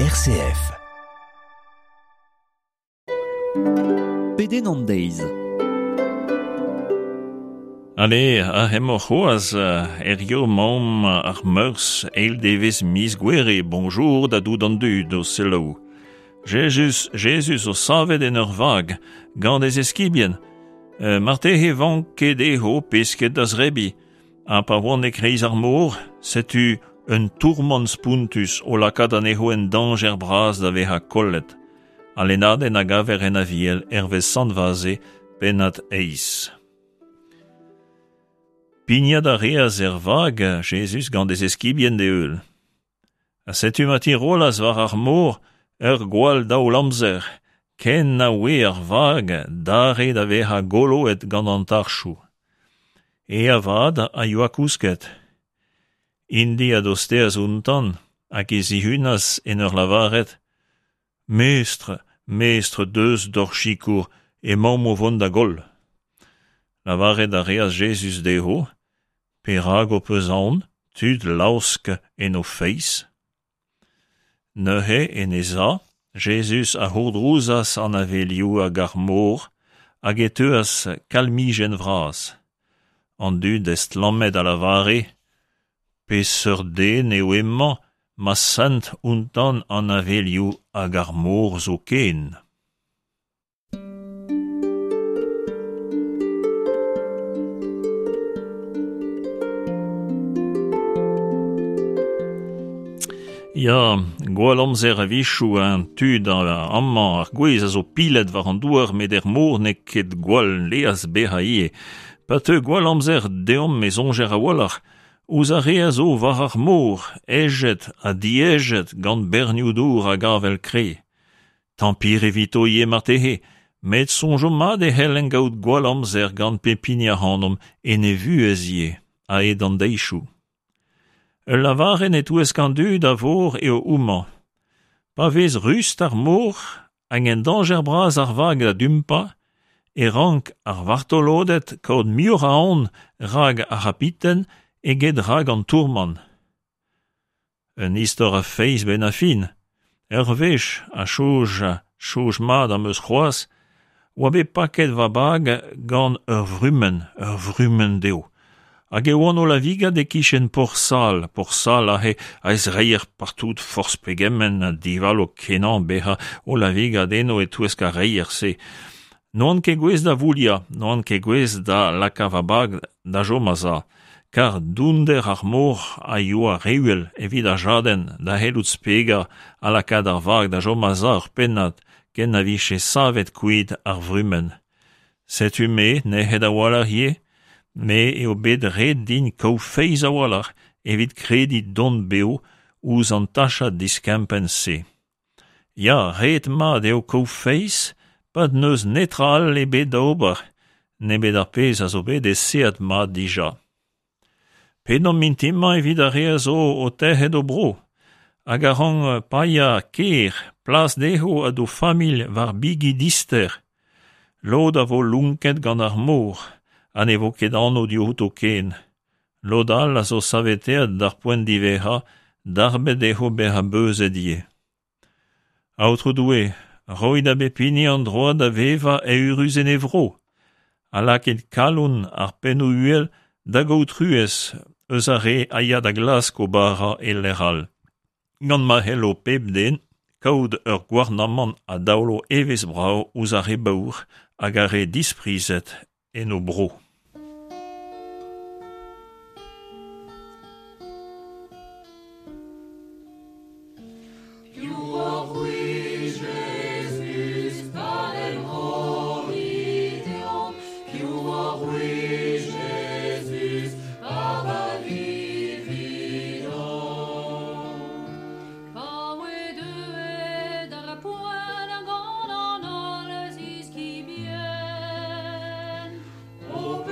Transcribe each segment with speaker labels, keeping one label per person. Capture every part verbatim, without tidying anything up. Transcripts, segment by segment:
Speaker 1: R C F.
Speaker 2: Pedenn an deiz.
Speaker 3: Ale, a hemañ c'hoazh, hirio 'maomp ar Meurzh, eil devezh miz Gouere, bonjour da dout an dud o selaou. Jezuz, Jezuz o savet en ur vag, gant e zeskibien. Euh, marteze vanke dezho pesked da zebriñ. Ha pa oant e-kreiz ar mor, setu un tourmant spontus o lakaat anezho en dañjer bras da vezañ kollet. Al lennadenn a gaver en Aviel hervez Sant Vaze, pennad eizh. Pignat a reas er vag Jezuz gant e zeskibien d'e heul. Ha setu ma tirollas war ar mor ur gwall daol-amzer, ken na oe ar vag dare da vezañ goloet gant an tarchoù. E avat a yoa kousket. Int-i a dosteas outañ hag e zihunas en ur lavaret: Mestr, mestr, deus d'hor sikour, emaomp o vont da goll. Lavaret a reas Jezuz dezho: Perak ho peus aon, tud laosk en ho feiz? Neuze en e za, Jezuz a c'hourdrouzas an avelioù hag ar mor hag e teuas kalmijenn vras. An dud estlammet a lavare: Peseurt den eo hemañ ma sent outañ an avelioù hag ar mor zoken. Ya, gwall amzer a-wechoù an tud amañ ar gwez a zo pilet war an douar met er mor n'eo ket gwall leaz bezañ ivez. Pa teu gwall amzer deomp e soñjer a-walc'h ouzh ar re a zo war ar mor, hejet ha dihejet gant bernioù dour hag avel kreñv. Tampir evito ivez marteze, met soñjomp mat e c'hellent kaout gwall amzer gant pep hini ac'hanomp en e vuhez ivez, a-hed an deizioù. Ul lavarenn e-touesk an dud a vor eo homañ. Pa vez rust ar mor hag en dañjer bras ar vag da dumpañ, e rank ar vartoloded kaout muioc'h a aon rak ar c'habiten eget rak an tourmant. Un istor a feiz 'benn ar fin. Ur wech, ha soñj, soñj mat am eus c'hoazh, oa bet paket va bag gant ur vrumenn, ur vrumenn dezho. Hag e oan o lavigat e-kichen Porsal, Porsal aze a ez reier partout forzh pegement ha divalo kenañ bezañ o lavigat eno e-touesk ar reier-se. N'oan ket gouest da vouliañ, n'oan ket gouest da lakaat va bag da chom a-sav, kar dounder ar mor a yoa re uhel evit ar jadenn da c'hellout spegañ ha lakaat ar vag da chom a-sav ur pennad ken na vije savet kuit ar vrumenn. Setu me nec'het a-walc'h ivez, me eo bet ret din kaout feiz a-walc'h evit krediñ dont bev ouzh an tachad diskempenn-se. Ya, ret mat eo kaout feiz pa n'eus netra all ebet da ober, nemet ar pezh a zo bet esaeet mat dija. Pedomp mintin-mañ evit ar re a zo o tec'het o bro, hag a rank paeañ ker, plas dezho ha d'o familh war bigi dister. Lod a vo lonket gant ar mor, ha ne vo ket anv diouto ken. Lod all a zo saveteet d'ar poent diwezhañ, darbet dezho bezañ beuzet ivez. Aotrou Doue, roit da bep hini an droad da vevañ eürus en e vro, ha lakit kalon ar pennoù uhel da gaout truez eus ar re a ya da glask o bara e lec'h all. Gant ma c'hello pep den kaout ur gouarnamant a daolo evezh brav ouzh ar re baour hag ar re disprizet en o bro.
Speaker 4: Pa oe deuet ar poent gant an holl ziskibien.
Speaker 5: O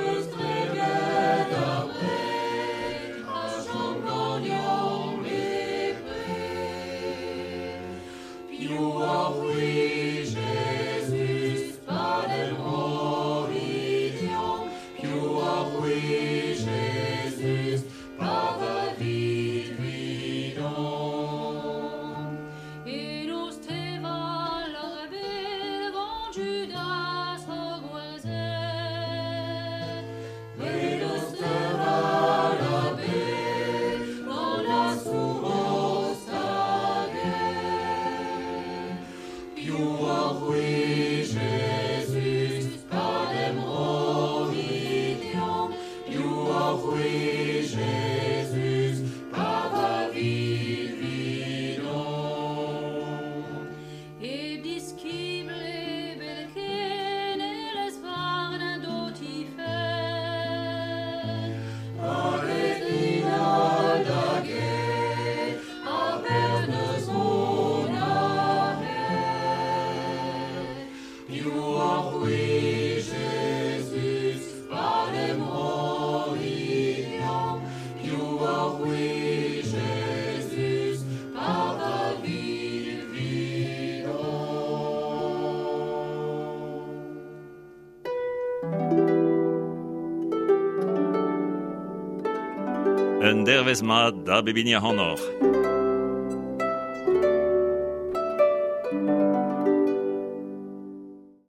Speaker 3: Un dervezh mat da bep hini ac'hanoc'h.